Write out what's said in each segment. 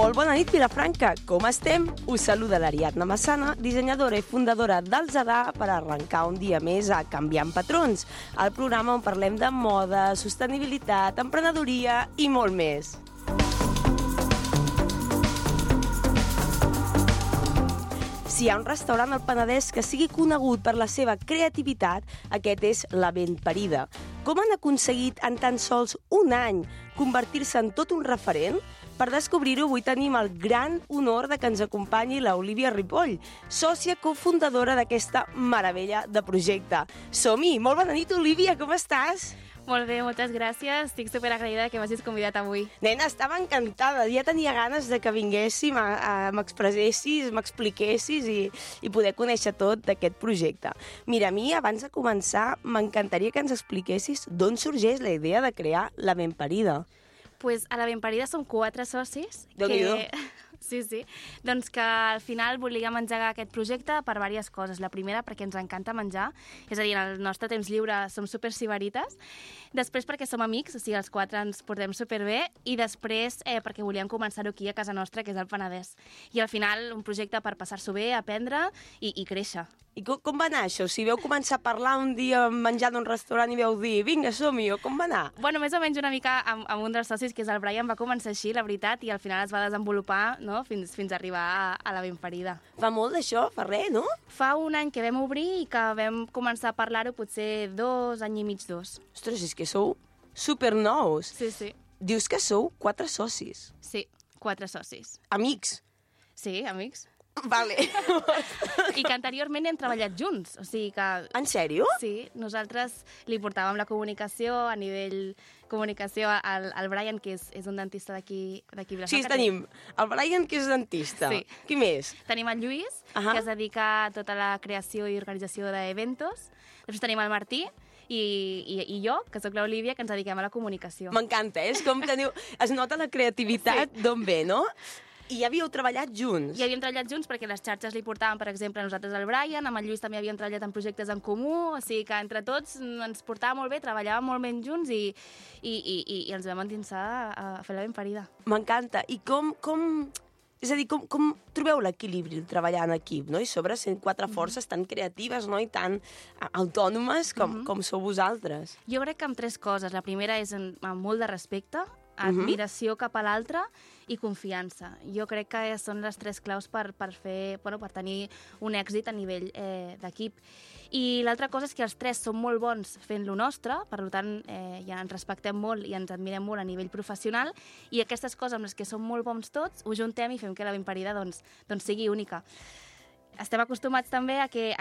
Molt bona nit, Vilafranca. Com estem? Us saluda l'Ariadna Massana, dissenyadora i fundadora del Zadar, per arrencar un dia més a Canviant Patrons, el programa on parlem de moda, sostenibilitat, emprenedoria i molt més. Si hi ha un restaurant al Penedès que sigui conegut per la seva creativitat, aquest és La Ben Parida. Com han aconseguit en tan sols un any convertir-se en tot un referent? Per descobrir-ho, avui tenim el gran honor de que ens acompanyi l'Olivia Ripoll, sòcia cofundadora d'aquesta meravella de projecte. Som-hi! Molt bona nit, Olivia, com estàs? Molt bé, moltes gràcies. Estic superagraïda que m'hagis convidat avui. Nena, estava encantada. Ja tenia ganes de que vinguéssim, m'expressessis, m'expliquessis i poder conèixer tot d'aquest projecte. Mira, a mi, abans de començar, m'encantaria que ens expliquessis d'on sorgeix la idea de crear La Ben Parida. Pues a La Ben Parida som 4 socis. Déu-n'hi-do. Sí. Doncs que al final volíem engegar aquest projecte per diverses coses. La primera, perquè ens encanta menjar, és a dir, en el nostre temps lliure som super sibarites. Després, perquè som amics, o sigui, els 4 ens portem superbé. I després, perquè volíem començar-ho aquí a casa nostra, que és el Penedès. I al final, un projecte per passar-s'ho bé, aprendre i créixer. I com va anar això? Si veu començar a parlar un dia menjant d'un restaurant i veu dir vinga, som-hi, o com va anar? Bueno, més o menys una mica amb un dels socis, que és el Brian, va començar així, la veritat, i al final es va desenvolupar, no?, fins a arribar a La Ben Parida. Fa molt d'això? Fa res, no? Fa un any que vam obrir i que vam començar a parlar-ho potser 2 anys i mig, 2. Ostres, és que sou supernous. Sí. Dius que sou 4 socis. Sí, 4 socis. Amics. Sí, amics. Vale. I que anteriorment hem treballat junts, o sigui que... En sèrio? Sí, nosaltres li portàvem la comunicació, a nivell comunicació, al Brian, que és un dentista d'aquí Vilafranca. Sí, tenim el Brian, que és dentista. Sí. Qui més? Tenim el Lluís, que es dedica a tota la creació i organització d'eventos. Després tenim el Martí, i jo, que sóc l'Olivia, que ens dediquem a la comunicació. M'encanta, és com teniu... Es nota la creativitat d'on ve, no? I ja havíeu treballat junts? Ja havíem treballat junts perquè les xarxes li portaven, per exemple, a nosaltres el Brian, amb el Lluís també havíem treballat en projectes en comú, o sigui que entre tots ens portava molt bé, treballàvem molt ben junts i ens vam endinsar a fer La Ben Parida. M'encanta. I com... És a dir, com trobeu l'equilibri de treballar en equip, no? I sobre sent 4 forces tan creatives, no?, i tan autònomes com sou vosaltres. Jo crec que amb 3 coses. La primera és amb molt de respecte, admiració cap a l'altre i confiança. Jo crec que són les 3 claus per tenir un èxit a nivell d'equip. I l'altra cosa és que els 3 són molt bons fent lo nostre, per tant, ja ens respectem molt i ens admirem molt a nivell professional, i aquestes coses amb les que som molt bons tots, ho juntem i fem que La Ben Parida doncs sigui única. Estem acostumats també a que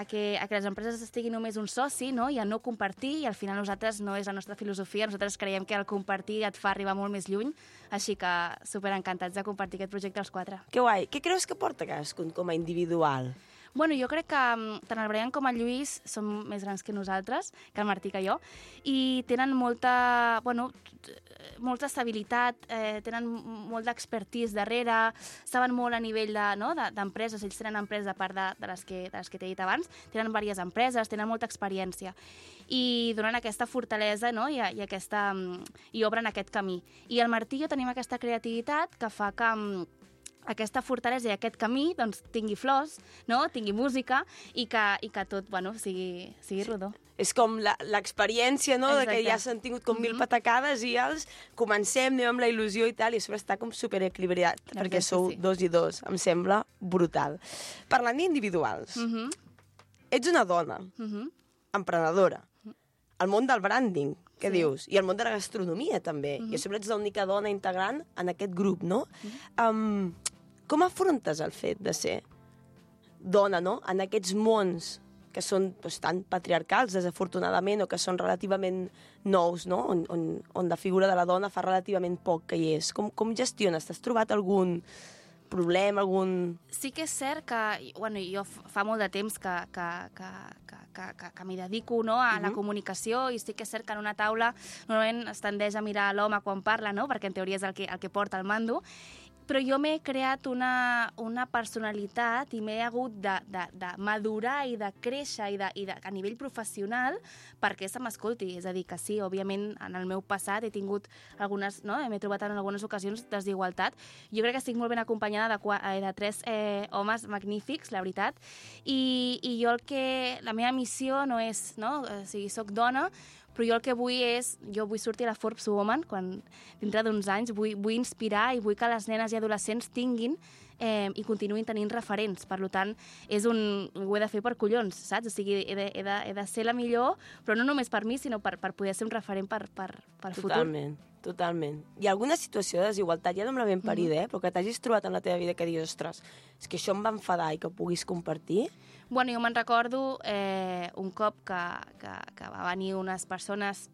les empreses estiguin només un soci, no?, i a no compartir, i al final nosaltres no és la nostra filosofia, nosaltres creiem que el compartir et fa arribar molt més lluny, així que superencantats de compartir aquest projecte els 4. Que guai. Què creus que porta cadascun com a individual? Bueno, jo crec que tant el Brian com el Lluís són més grans que nosaltres, que el Martí que jo, i tenen molta estabilitat, tenen molt d'expertise darrere, saben molt a nivell d'empreses, ells tenen empreses a part de les que t'he dit abans, tenen diverses empreses, tenen molta experiència i donen aquesta fortalesa, no?, i obren aquest camí. I el Martí i jo tenim aquesta creativitat que fa que aquesta fortalesa i aquest camí doncs, tingui flors, no?, tingui música i que tot sigui rodó. És com l'experiència, no?, de que ja s'han tingut com 1000 patacades i els comencem, anem amb la il·lusió i tal, i a sobre està com superequilibrat, perquè sou 2 i 2. Em sembla brutal. Parlant d'individuals, ets una dona, emprenedora, al món del branding, què dius? I al món de la gastronomia, també. I a sobre ets l'única dona integrant en aquest grup, no? Com afrontes el fet de ser dona, no?, en aquests mons que són tan patriarcals, desafortunadament, o que són relativament nous, no?, on la figura de la dona fa relativament poc que hi és. Com gestiones? T'has trobat algun problema, algun... Sí que és cert que, jo fa molt de temps que m'hi dedico, no?, a la comunicació, i sí que és cert que en una taula normalment es tendeix a mirar l'home quan parla, no?, perquè en teoria és el que porta el mando, però jo m'he creat una personalitat i m'he hagut de madurar i de créixer a nivell professional perquè se m'escolti. És a dir, que sí, òbviament, en el meu passat he tingut algunes, no? M'he trobat en algunes ocasions desigualtat. Jo crec que estic molt ben acompanyada de 3 homes magnífics, la veritat, i jo la meva missió no és, no? O sigui, soc dona, però jo el que vull és, jo vull sortir a la Forbes Woman dintre d'uns anys, vull inspirar i vull que les nenes i adolescents tinguin i continuïn tenint referents. Per tant, ho he de fer per collons, saps? O sigui, he de ser la millor, però no només per mi, sinó per poder ser un referent per futur. Totalment. Hi ha alguna situació de desigualtat, ja no me la ben parida, però que t'hagis trobat en la teva vida que dius, ostres, és que això em va enfadar i que ho puguis compartir? Bueno, jo me'n recordo un cop que va venir unes persones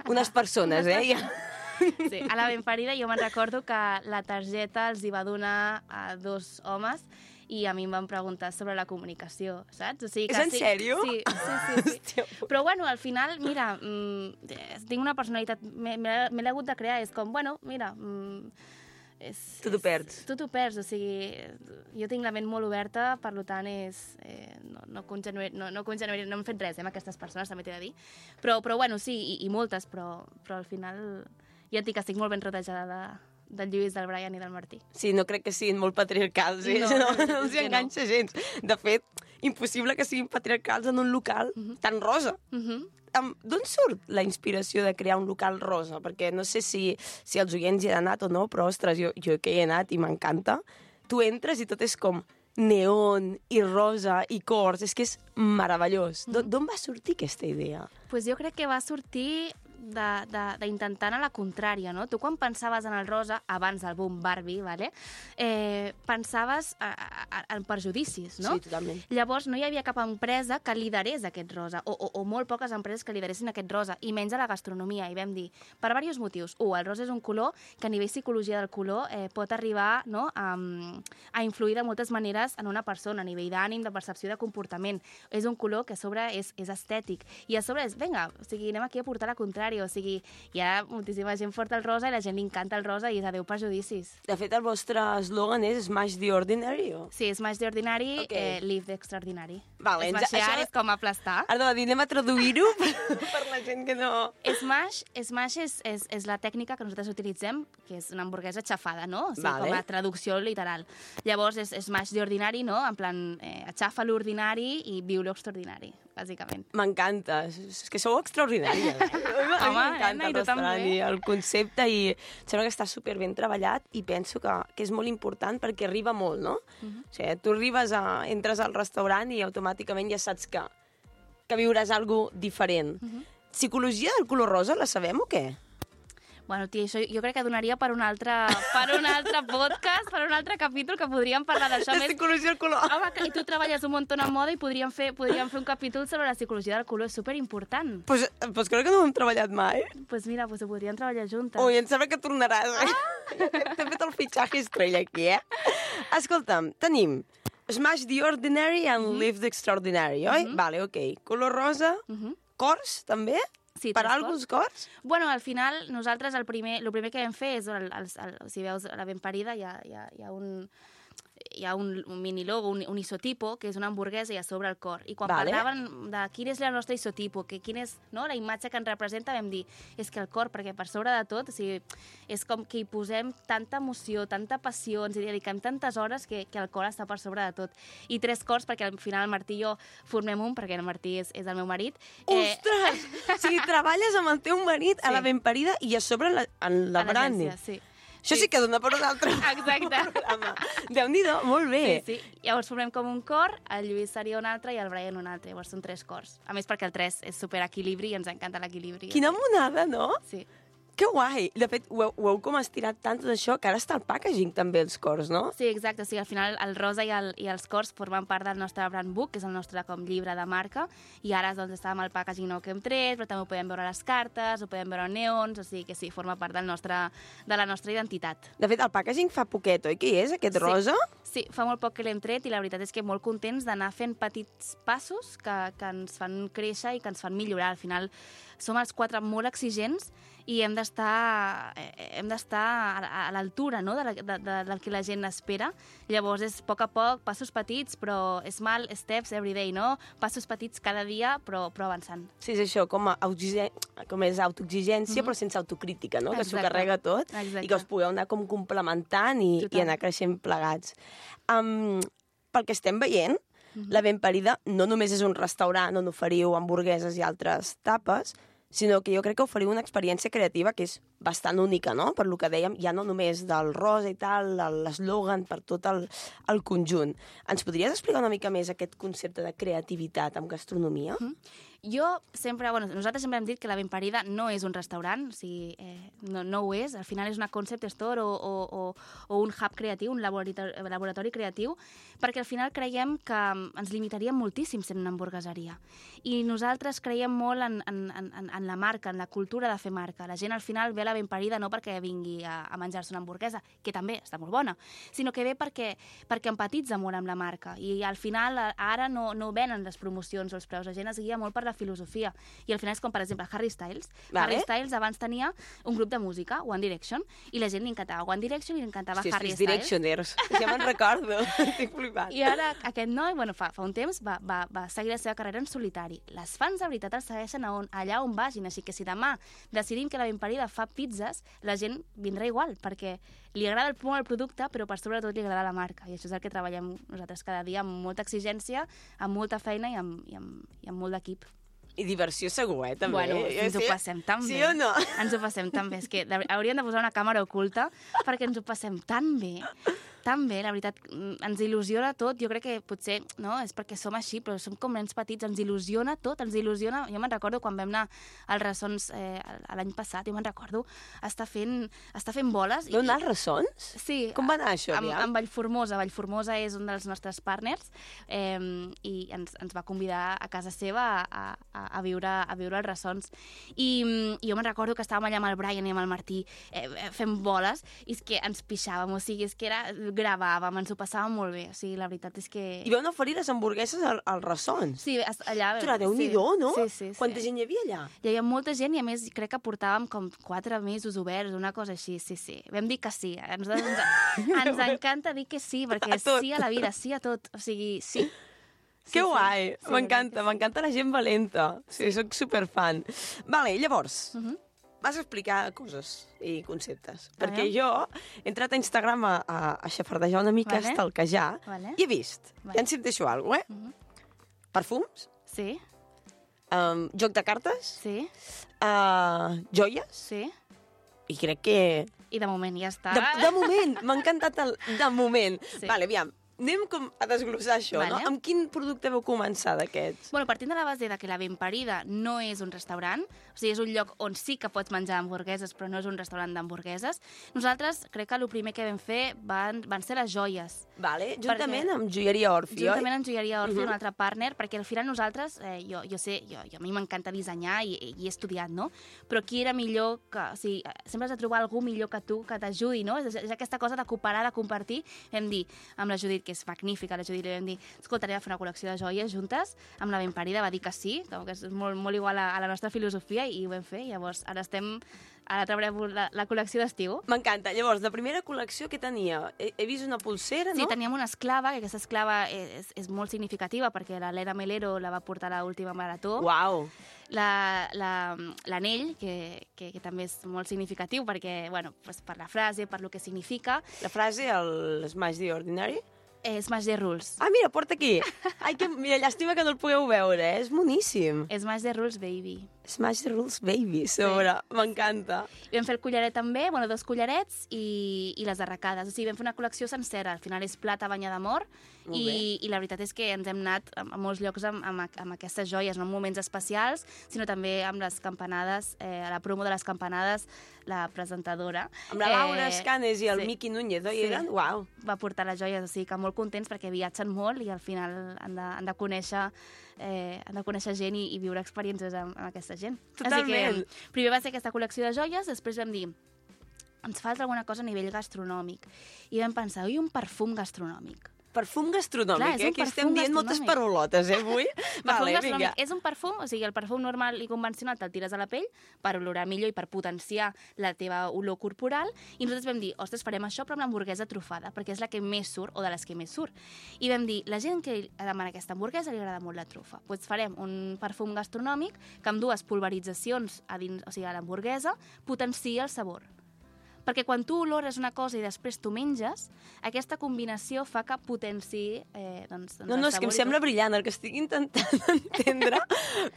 Unes persones, eh? Sí, a la benparida jo me'n recordo que la targeta els hi va donar a 2 homes i a mi em van preguntar sobre la comunicació, saps? O sigui que és en sèrio? Sí. Però bueno, al final, mira, tinc una personalitat, me l'he hagut de crear, és com, bueno, mira... Tu t'ho perds. Tu t'ho perds, o sigui, jo tinc la ment molt oberta, per tant, no hem fet res amb aquestes persones, també t'he de dir. Però bueno, sí, i moltes, però al final ja et dic que estic molt ben rodejada del Lluís, del Brian i del Martí. Sí, no crec que siguin molt patriarcals, eh? No els hi enganxa gens. De fet, impossible que siguin patriarcals en un local tan rosa. D'on surt la inspiració de crear un local rosa? Perquè no sé si els oients hi han anat o no, però, ostres, jo que hi he anat i m'encanta. Tu entres i tot és com neon i rosa i cors. És que és meravellós. D'on va sortir aquesta idea? Pues jo crec que va sortir d'intentar anar a la contrària, no? Tu quan pensaves en el rosa, abans del boom Barbie, vale? Pensaves en perjudicis, no? Sí, totalment. Llavors no hi havia cap empresa que liderés aquest rosa, o molt poques empreses que lideressin aquest rosa, i menys a la gastronomia, i vam dir, per diversos motius. El rosa és un color que a nivell psicologia del color pot arribar, no, a influir de moltes maneres en una persona, a nivell d'ànim, de percepció, de comportament. És un color que a sobre és estètic, i a sobre és, vinga, o sigui, anem aquí a portar la contrària, o sigui, hi ha moltíssima gent porta el rosa i la gent li encanta el rosa i és adeu perjudicis. De fet, el vostre eslògan és Smash the Ordinary, o? Sí, Smash the Ordinary, Live the Extraordinary. Vale, Smashar és com aplastar. Ara de dir, anem a traduir-ho per la gent que no... Smash és la tècnica que nosaltres utilitzem, que és una hamburguesa xafada, no? O sigui, com a traducció literal. Llavors, és Smash the Ordinary, no? En plan, aixafa l'ordinari i viu l'extraordinari, bàsicament. M'encanta. És que sou extraordinària. Home, m'encanta el restaurant i el concepte i sembla que està super ben treballat i penso que és molt important perquè arriba molt, no? O sigui, tu entres al restaurant i automàticament ja saps que viuràs alguna diferent. Psicologia del color rosa la sabem o què? Bueno, tia, això jo crec que donaria per un altre podcast, per un altre capítol que podríem parlar d'això. La psicologia del color. Home, i tu treballes un munt en moda i podríem fer un capítol sobre la psicologia del color, és superimportant. Pues crec que no ho hem treballat mai. Pues mira, ho podríem treballar juntes. Ui, em sembla que tornaràs. T'he fet el fitxatge estrella aquí, eh? Escolta'm, tenim Smash the Ordinary and Live the Extraordinary, oi? Vale, ok. Color rosa, cors, també? Sí, per alguns cors? Bueno, al final, nosaltres el primer que vam fer és, si veus a la benparida, hi ha un mini logo, un isotipo, que és una hamburguesa i a sobre el cor. I quan parlaven de quin és el nostre isotipo, quin és la imatge que ens representa, vam dir, és que el cor, perquè per sobre de tot, o sigui, és com que hi posem tanta emoció, tanta passió, ens hi dediquem tantes hores que el cor està per sobre de tot. I 3 cors, perquè al final el Martí i jo formem un, perquè el Martí és el meu marit. Ostres! O sigui, treballes amb el teu marit a la benparida i a sobre en la Brandi. Sí. Això sí que dona per un altre programa. Déu-n'hi-do, molt bé. Sí. Llavors formem com un cor, el Lluís seria un altre i el Brian un altre. Llavors són 3 cors. A més perquè el 3 és superequilibri i ens encanta l'equilibri. Quina monada, no? Sí. Que guai! De fet, ho heu com estirat tant tot això que ara està el packaging també, els cors, no? Sí, exacte. O sigui, al final el rosa i els cors formen part del nostre brand book, que és el nostre com llibre de marca, i ara doncs està amb el packaging nou que hem tret, però també ho podem veure a les cartes, ho podem veure en neons, o sigui que sí, forma part de la nostra identitat. De fet, el packaging fa poquet, oi? Què és, aquest rosa? Sí, fa molt poc que l'hem tret i la veritat és que molt contents d'anar fent petits passos que ens fan créixer i que ens fan millorar. Al final som els 4 molt exigents i hem d'estar a l'altura, no?, del que la gent espera. Llavors és a poc, passos petits, però small steps every day, no? Passos petits cada dia, però avançant. Sí, és això, com és autoexigència, però sense autocrítica, no? Que s'ho carrega tot. Exacte. I que us pugueu anar com complementant i anar creixent plegats. Pel que estem veient, la Ben Parida no només és un restaurant on oferiu hamburgueses i altres tapes, sinó que jo crec que oferiu una experiència creativa que és bastant única, no? Per lo que dèiem, ja no només del rosa i tal, l'eslògan, per tot el conjunt. Ens podries explicar una mica més aquest concepte de creativitat amb gastronomia? Jo sempre, nosaltres sempre hem dit que la Ben Parida no és un restaurant, o sigui, no ho és, al final és una concept store o un hub creatiu, un laboratori creatiu, perquè al final creiem que ens limitaríem moltíssim sent una hamburgueseria. I nosaltres creiem molt en la marca, en la cultura de fer marca. La gent al final ve a la Ben Parida no perquè vingui a menjar-se una hamburguesa, que també està molt bona, sinó que ve perquè empatitza molt amb la marca. I al final ara no venen les promocions o els preus, la gent es guia molt per la filosofia. I al final és com, per exemple, Harry Styles. Harry Styles abans tenia un grup de música, One Direction, i la gent li encantava One Direction i li encantava Harry Styles. Directioners. Ja me'n recordo. Estic flipant. I ara aquest noi, fa un temps, va seguir la seva carrera en solitari. Les fans de veritat el segueixen allà on vagin, així que si demà decidim que la Ben Parida fa pizzas, la gent vindrà igual, perquè li agrada molt el producte, però per sobretot li agrada la marca. I això és el que treballem nosaltres cada dia, amb molta exigència, amb molta feina i amb molt d'equip. I diversió segur, també. Bueno, ens ho passem tan bé. Sí o no? Ens ho passem tan bé. És que hauríem de posar una càmera oculta perquè ens ho passem tan bé, la veritat, ens il·lusiona tot. Jo crec que potser, no, és perquè som així, però som com nens petits, ens il·lusiona tot, ens il·lusiona. Jo me'n recordo quan vam anar als Ressons l'any passat, jo me'n recordo estar fent boles. Vau anar als Ressons? Sí. Com va anar això? Amb Vallformosa. Vallformosa és un dels nostres partners i ens va convidar a casa seva a viure als Ressons. I jo me'n recordo que estàvem allà amb el Brian i amb el Martí fent boles i és que ens pixàvem, o sigui, és que gravàvem, ens ho passàvem molt bé, o sigui, la veritat és que... I vam oferir les hamburgueses als Ressons? Sí, allà... Ostres, Déu-n'hi-do, no? Sí. Quanta gent hi havia allà? Hi havia molta gent i a més crec que portàvem com 4 mesos oberts, una cosa així, sí. Vam dir que sí, ens encanta dir que sí, perquè sí a la vida, sí a tot, o sigui, sí. Que guai, m'encanta la gent valenta. Sí, soc superfan. Vale, llavors, vas explicar coses i conceptes. Perquè jo he entrat a Instagram a xafardejar una mica, a stalkejar, i he vist, ja ens deixo alguna cosa, perfums? Sí. Joc de cartes? Sí. Joies? Sí. I crec que... I de moment ja està. De moment, m'ha encantat el de moment. Vale, aviam, anem com a desglossar això, no? Amb quin producte vau començar d'aquests? Bueno, partint de la base de que la Ben Parida no és un restaurant, o sigui, és un lloc on sí que pots menjar hamburgueses, però no és un restaurant d'hamburgueses, nosaltres crec que el primer que vam fer van ser les joies. Vale, juntament amb Joieria Orfi, oi? Juntament amb Joieria Orfi, un altre partner, perquè al final nosaltres, jo sé, a mi m'encanta dissenyar i he estudiat, no? Però qui era millor que... O sigui, sempre has de trobar algú millor que tu, que t'ajudi, no? És aquesta cosa de cooperar, de compartir. Vam dir, amb la Judit, que és magnífica, la Judit, li vam dir, escolta, anem a fer una col·lecció de joies juntes, amb la Ben Parida va dir que sí, que és molt igual a la nostra filosofia, i ho vam fer. Llavors, ara treballarem la col·lecció d'estiu. M'encanta. Llavors, de primera col·lecció, què tenia? He vist una pulsera, no? Sí, teníem una esclava, que aquesta esclava és molt significativa, perquè la Lena Melero la va portar a l'última marató. Uau! L'anell, que també és molt significatiu, perquè, bueno, per la frase, per lo que significa. La frase, el Smash the Ordinary? Smash the Rules. Ah, mira, porta aquí. Ai, mira, llàstima que no el pugueu veure, és boníssim. Smash the Rules, baby. Smash the Rules, baby, sobre. Sí. M'encanta. I vam fer el collaret també, 2 collarets i les arracades. O sigui, vam fer una col·lecció sencera. Al final és plata banyada d'amor i la veritat és que ens hem anat a molts llocs amb aquestes joies, no en moments especials, sinó també amb les campanades, a la promo de les campanades, la presentadora. Amb la Laura Escanes i el Miqui Núñez, oi? Sí. Uau. Va portar les joies, o sigui que molt contents perquè viatgen molt i al final han de conèixer gent i viure experiències amb aquesta gent. Totalment. Així que primer va ser aquesta col·lecció de joies, després vam dir, ens falta alguna cosa a nivell gastronòmic. I vam pensar, un perfum gastronòmic. Perfum gastronòmic, Clar, Aquí estem dient moltes paraulotes, avui. Perfum gastronòmic. És un perfum, o sigui, el perfum normal i convencional te'l tires a la pell per olorar millor i per potenciar la teva olor corporal, i nosaltres vam dir, ostres, farem això però amb l'hamburguesa trufada, perquè és la que més surt, o de les que més surt. I vam dir, la gent que demana aquesta hamburguesa li agrada molt la trufa. Doncs farem un perfum gastronòmic que amb 2 pulveritzacions a dins, o sigui, a l'hamburguesa, potencia el sabor. Perquè quan tu olores una cosa i després tu menges, aquesta combinació fa que potenciï doncs no, és que em sembla brillant el que estic intentant entendre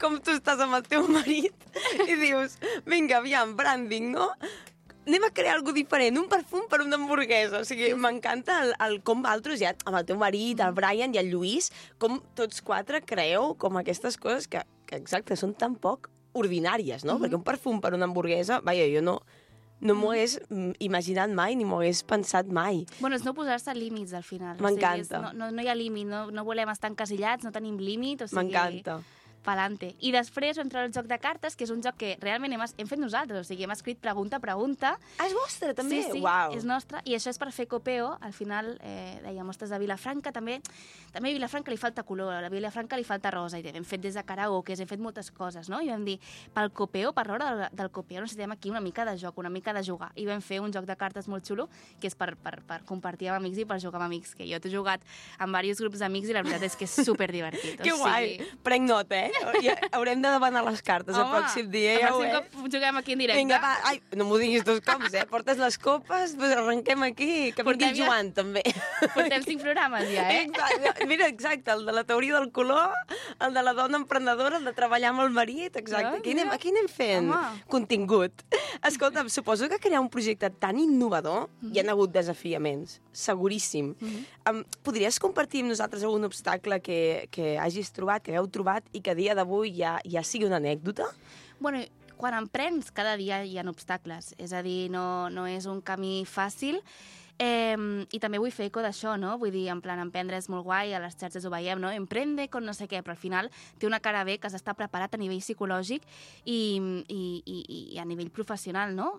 com tu estàs amb el teu marit i dius, vinga, aviam, branding, no? Anem a crear alguna diferent, un perfum per una hamburguesa. O sigui, m'encanta com altres, ja, amb el teu marit, el Brian i el Lluís, com tots 4 creeu com aquestes coses que exacte, són tan poc ordinàries, no? Perquè un perfum per una hamburguesa, vaja, jo no m'ho hagués imaginat mai ni m'ho hagués pensat mai. Bueno, és no posar-se límits al final. M'encanta. O sigui, no hi ha límit, no volem estar encasillats, no tenim límit, o sigui... M'encanta. Palante. I després vam treure el joc de cartes, que és un joc que realment hem fet nosaltres, o sigui, hem escrit pregunta a pregunta. Ah, és vostre, també? Sí, Uau. És nostre, i això és per fer copeo. Al final, dèiem, ostres, a Vilafranca també a Vilafranca li falta color, a Vilafranca li falta rosa, i hem fet des de karaokes, hem fet moltes coses, no? I vam dir, pel copeo, per l'hora del copeo, necessitem aquí una mica de joc, una mica de jugar. I vam fer un joc de cartes molt xulo, que és per compartir amb amics i per jugar amb amics, que jo t'he jugat amb diversos grups d'amics i la veritat és que és superdivertit. Que guai! Prenc nota, Ja haurem de demanar les cartes el pròxim dia. Ja el pròxim cop juguem aquí en directe. Vinga, va, ai, no m'ho diguis 2 cops, Portes les copes, doncs arrenquem aquí, que vingui Joan, també. Portem 5 programes ja, Exacte. Mira, exacte, el de la teoria del color, el de la dona emprenedora, el de treballar amb el marit, exacte. Aquí anem fent contingut. Escolta, suposo que crear un projecte tan innovador hi ha hagut desafiaments, seguríssim. Podries compartir amb nosaltres algun obstacle que hagis trobat, que heu trobat i que a dia d'avui ja sigui una anècdota? Bueno, quan emprens, cada dia hi ha obstacles. És a dir, no és un camí fàcil. I també vull fer eco d'això, no? Vull dir, en plan, emprendre és molt guai, a les xarxes ho veiem, no? Emprende con no sé què, però al final té una cara bé que s'està preparat a nivell psicològic i a nivell professional, no?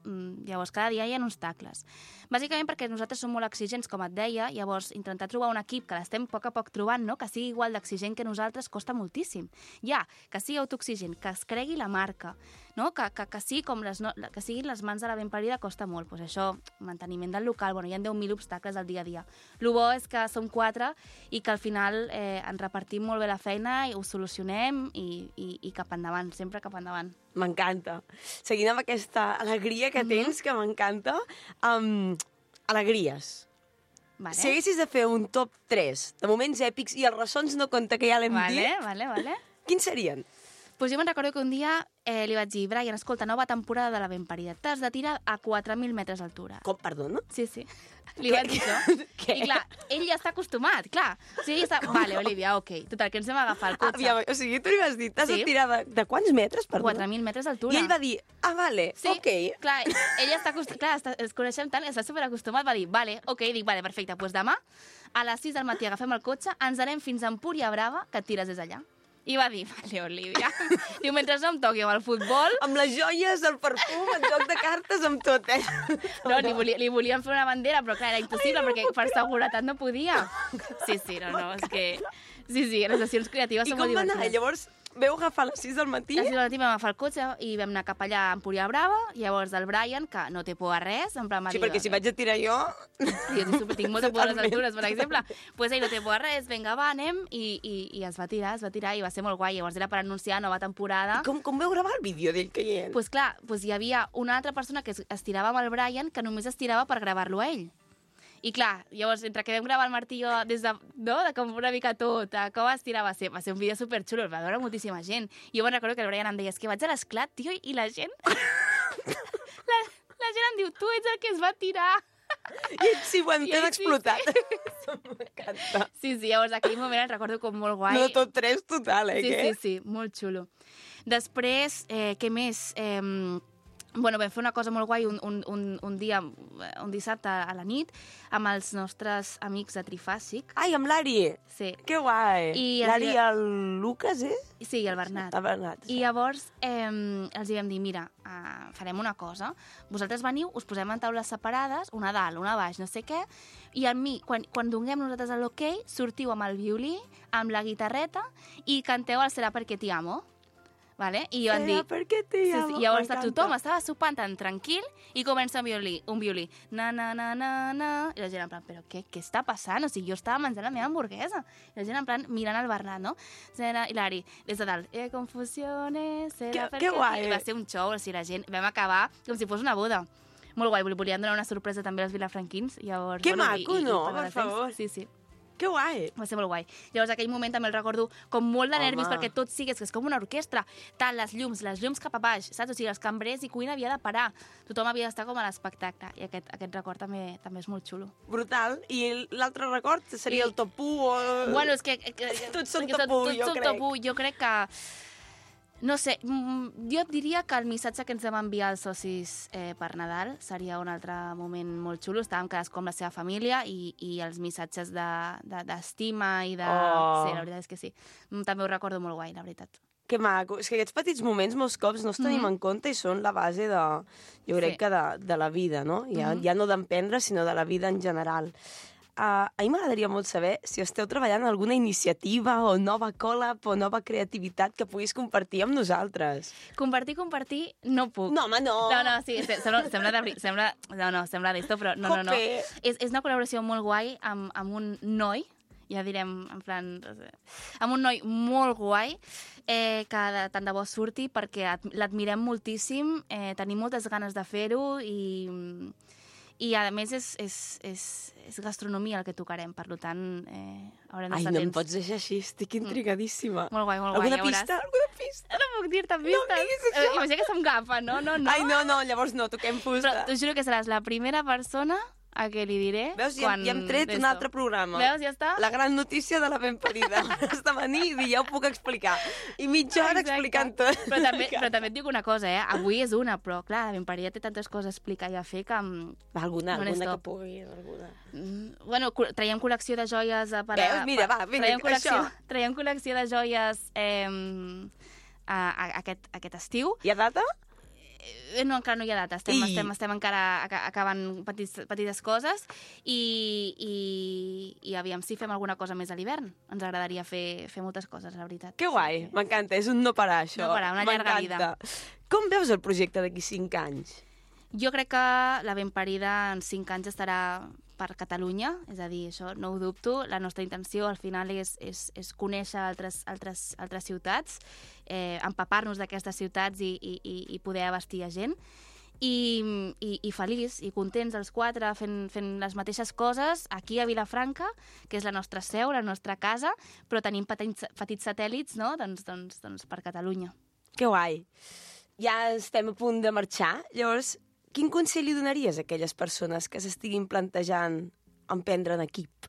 Llavors, cada dia hi ha obstacles. Bàsicament perquè nosaltres som molt exigents, com et deia, llavors intentar trobar un equip que l'estem a poc trobant, no? Que sigui igual d'exigent que nosaltres costa moltíssim. Ja, que sigui autoexigent, que es cregui la marca, no? Que sigui que siguin les mans de la ben parida costa molt. Pues això, manteniment del local, bueno, hi ha 10.000 obstacles al dia a dia. El bo és que som 4 i que al final ens repartim molt bé la feina i ho solucionem i cap endavant, sempre cap endavant. M'encanta. Seguint amb aquesta alegria que tens, que m'encanta, alegries. Vale. Si haguessis de fer un top 3 de moments èpics, i els ressons no compta, que ja l'hem dit, Vale. quins serien? Pues jo me'n recordo que un dia li vaig dir, Brian, escolta, nova temporada de la ben parida, t'has de tirar a 4.000 metres d'altura. Com, perdona? Sí. Li vaig dir això. Què? I clar, ell ja està acostumat, clar. O sigui, ell està... Vale, Olivia, ok. Total, que ens vam agafar el cotxe. O sigui, tu li vas dir, t'has de tirar de quants metres, perdona? 4.000 metres d'altura. I ell va dir, vale, sí, ok. Clar, ell està acostumat, clar, ens coneixem tant, està superacostumat, va dir, vale, ok, dic, vale, perfecte, doncs demà a les 6 del matí agafem el cotxe, ens anem fins a Empúria Brava, que et tires des d'allà. I va dir, vale, Olivia. Diu, mentre no em toqui amb el futbol... Amb les joies, el perfum, el joc de cartes, amb tot, No, li volíem fer una bandera, però clar, era impossible, perquè per seguretat no podia. Sí, no, és que... Sí, les sessions creatives són molt divertides. I com va anar? Llavors, veu agafar a les 6 del matí? A les 6 del matí vam agafar el cotxe i vam anar cap allà a Empúria Brava, llavors el Brian, que no té por a res, en plan... Sí, perquè si vaig a tirar jo... Jo tinc molta por a les altures, per exemple. Pues ell no té por a res, vinga, va, anem, i es va tirar, i va ser molt guai. Llavors era per anunciar nova temporada. I com veu gravar el vídeo d'ell caient? Pues clar, hi havia una altra persona que es tirava amb el Brian, que només es tirava per gravar-lo a ell. I clar, llavors, entre que vam gravar el Martillo des de, no?, de com una mica tot, com es tirava, va ser un vídeo superxulo, el va veure moltíssima gent. I jo me'n recordo que el Brian em deia, és que vaig a l'esclat, tio, i la gent... la gent em diu, tu ets el que es va tirar. I ell sí, ho hem explotat. M'encanta. Sí, llavors aquell moment el recordo com molt guai. No, tot 3 total, Sí, molt xulo. Després, què més? Bueno, vam fer una cosa molt guai un dia, un dissabte a la nit, amb els nostres amics de Trifàsic. Ai, amb l'Ari! Sí. Que guai! L'Ari i el Lucas, Sí, i el Bernat. El Bernat. I llavors els hi vam dir, mira, farem una cosa, vosaltres veniu, us posem en taules separades, una a dalt, una a baix, no sé què, i a mi, quan donem nosaltres l'ok, sortiu amb el violí, amb la guitarreta, i canteu el Serà perquè t'hi amo. Vale? I van dir... perquè t'hi amo. I llavors tothom estava sopant tan tranquil i comença un violí. Na, na, na, na, na. I la gent en plan, però què està passant? O sigui, jo estava menjant la meva hamburguesa. I la gent en plan mirant el Bernat, no? I l'Ari, des de dalt, confusiones... Que guai! I va ser un show, o sigui, la gent... Vam acabar com si fos una boda. Molt guai, volíem donar una sorpresa també als vilafranquins. Llavors, que maco, no? Per favor. Sí. Que guai! Va ser molt guai. Llavors, aquell moment també el recordo com molt de nervis, perquè tot sigues, que és com una orquestra. Tant, les llums cap a baix, saps? O sigui, els cambrers i cuina havia de parar. Tothom havia d'estar com a l'espectacle. I aquest record també és molt xulo. Brutal. I l'altre record seria el top 1 o... Bueno, és que... Tots són top 1, jo crec. Top 1. Jo crec que... No sé, jo et diria que el missatge que ens vam enviar als socis per Nadal seria un altre moment molt xulo. Estàvem cadascú amb la seva família i els missatges d'estima i de... Sí, la veritat és que sí. També ho recordo molt guai, la veritat. Que maco. És que aquests petits moments molts cops no els tenim en compte i són la base de, jo crec que de la vida, no? Ja no d'emprendre, sinó de la vida en general. A mi m'agradaria molt saber si esteu treballant en alguna iniciativa o nova collab o nova creativitat que puguis compartir amb nosaltres. Compartir, no puc. No, home, no. No, sí, sembla d'esto, però no. És una col·laboració molt guai amb un noi, ja direm, en plan... amb un noi molt guai, que tant de bo surti, perquè l'admirem moltíssim, tenim moltes ganes de fer-ho i a més és gastronomia el que tocarem, per tant haurem d'estar temps. No em pots deixar així, estic intrigadíssima. Molt guai, Alguna pista? No puc dir-te pistes. No diguis això. Imagina que som gafa, no? Ai, no, llavors no, toquem fusta. Però t'ho juro que seràs la primera persona a què li diré... Veus, ja hem tret un altre programa. Veus, ja està? La gran notícia de la ben parida. Has de venir i dir, ja ho puc explicar. I mitja hora explicant tot. Però també et dic una cosa, Avui és una, però clar, la ben parida té tantes coses a explicar i a fer que... Alguna que pugui, alguna. Bueno, traiem col·lecció de joies... Veus, mira, va, vinga, això. Traiem col·lecció de joies aquest estiu. Hi ha data? No, encara no hi ha data. Estem encara acabant petites coses i aviam si fem alguna cosa més a l'hivern. Ens agradaria fer moltes coses, la veritat. Que guai, m'encanta, és un no parar, això. No parar, una llarga vida. Com veus el projecte d'aquí 5 anys? Jo crec que la ben parida en 5 anys estarà per Catalunya, és a dir, això no ho dubto. La nostra intenció al final és conèixer altres ciutats, empapar-nos d'aquestes ciutats i poder abastir a gent. I feliç i contents els 4 fent les mateixes coses aquí a Vilafranca, que és la nostra seu, la nostra casa, però tenim petits satèl·lits, no? doncs per Catalunya. Que guai! Ja estem a punt de marxar, llavors... Quin consell li donaries a aquelles persones que s'estiguin plantejant emprendre en equip?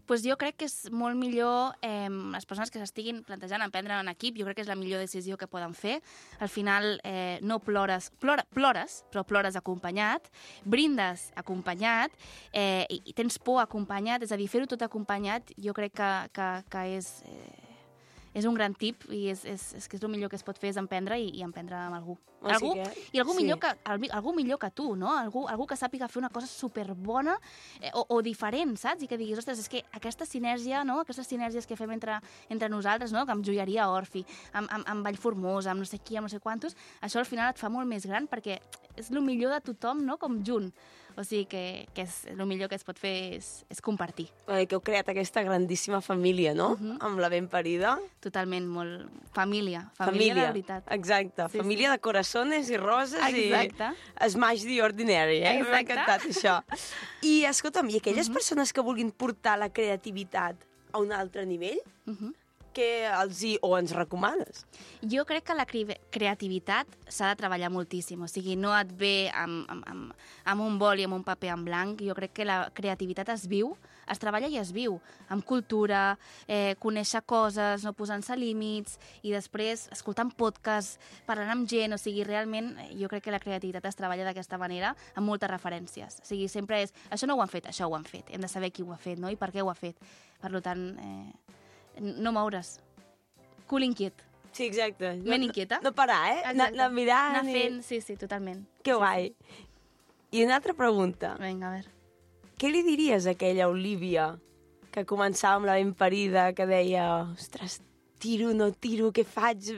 Pues jo crec que és molt millor les persones que s'estiguin plantejant emprendre en equip, jo crec que és la millor decisió que poden fer. Al final no plores, però plores acompanyat, brindes acompanyat, i tens por acompanyat, és a dir, fer-ho tot acompanyat, jo crec que és un gran tip i és que és el millor que es pot fer és emprendre i emprendre amb algú. Algú millor que tu, no? Algú que sàpiga fer una cosa superbona o diferent, saps? I que diguis, ostres, és que aquesta sinergia, no? Aquestes sinèrgies que fem entre nosaltres, no? Amb Joieria Orfi, amb Vallformosa, amb no sé qui, amb no sé quantos, això al final et fa molt més gran perquè és el millor de tothom, no? Com junt. O sigui que el millor que es pot fer és compartir. Que heu creat aquesta grandíssima família, no? Amb la ben parida. Totalment, molt... Família de veritat. Exacte, sí, família de corazones i roses. Exacte. I smash the ordinary, Exacte. M'ha encantat això. I escolta'm, i aquelles persones que vulguin portar la creativitat a un altre nivell, ens recomanes? Jo crec que la creativitat s'ha de treballar moltíssim, o sigui, no et ve amb un boli, amb un paper en blanc. Jo crec que la creativitat es viu, es treballa i es viu, amb cultura, conèixer coses, no posant-se límits, i després escoltant podcasts, parlant amb gent, o sigui, realment jo crec que la creativitat es treballa d'aquesta manera, amb moltes referències. O sigui, sempre és, això no ho han fet, això ho han fet, hem de saber qui ho ha fet, no? I per què ho ha fet. Per tant, no moure's. Cul inquiet. Sí, exacte. Ment inquieta. No parar, anar mirant. Anar fent, sí, totalment. Que guai. I una altra pregunta. Vinga, a veure. Què li diries a aquella Olívia que començava amb la ben parida, que deia, ostres, tiro, no tiro, què faig?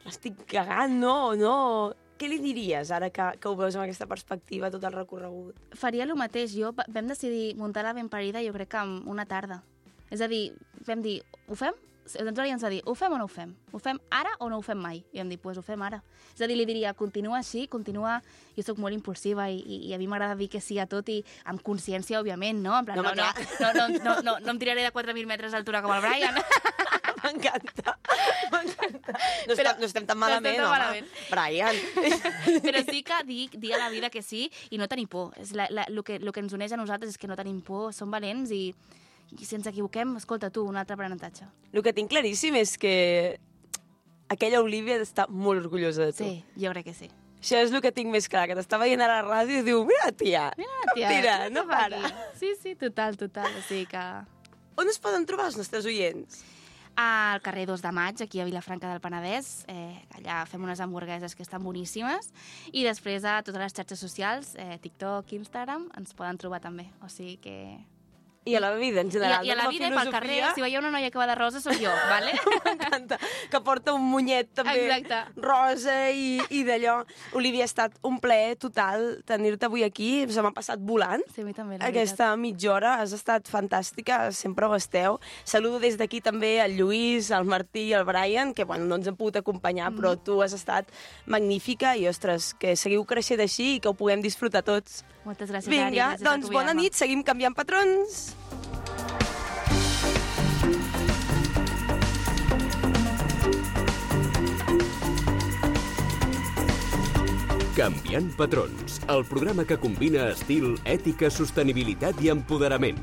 L'estic cagant, no? Què li diries ara que ho veus amb aquesta perspectiva, tot el recorregut? Faria el mateix. Vam decidir muntar la ben parida, jo crec que en una tarda. És a dir, vam dir, ho fem? Doncs ens va dir, ho fem o no ho fem? Ho fem ara o no ho fem mai? I vam dir, doncs ho fem ara. És a dir, li diria, continua així, continua... Jo soc molt impulsiva i a mi m'agrada dir que sí a tot i amb consciència, òbviament, no? En plan, no em tiraré de 4.000 metres d'altura com el Brian. M'encanta. No estem tan malament, home. Brian. Però sí que dir a la vida que sí i no tenir por. El que ens uneix a nosaltres és que no tenim por, som valents i si ens equivoquem, escolta tu, un altre aprenentatge. El que tinc claríssim és que aquella Olívia està molt orgullosa de tu. Sí, jo crec que sí. Això és el que tinc més clar, que t'està veient a la ràdio i diu, mira, tia, no para. Sí, total. O sigui que... On es poden trobar els nostres oients? Al carrer 2 de Maig, aquí a Vilafranca del Penedès. Allà fem unes hamburgueses que estan boníssimes. I després a totes les xarxes socials, TikTok, Instagram, ens poden trobar també. O sigui que... I a la vida, en general. I a la vida, pel carrer, si veieu una noia que va de rosa, soc jo, vale? M'encanta, que porta un monyet també rosa i d'allò. Olívia, ha estat un plaer total tenir-te avui aquí, se m'ha passat volant. Sí, a mi també, aquesta mitja hora, has estat fantàstica, sempre ho esteu. Saludo des d'aquí també al Lluís, al Martí i al Brian, que bueno, no ens han pogut acompanyar, però tu has estat magnífica i, ostres, que seguiu creixent així i que ho puguem disfrutar tots. Moltes gràcies, Ari. Vinga, doncs bona nit, seguim canviant patrons. Canviant patrons, el programa que combina estil, ètica, sostenibilitat i empoderament.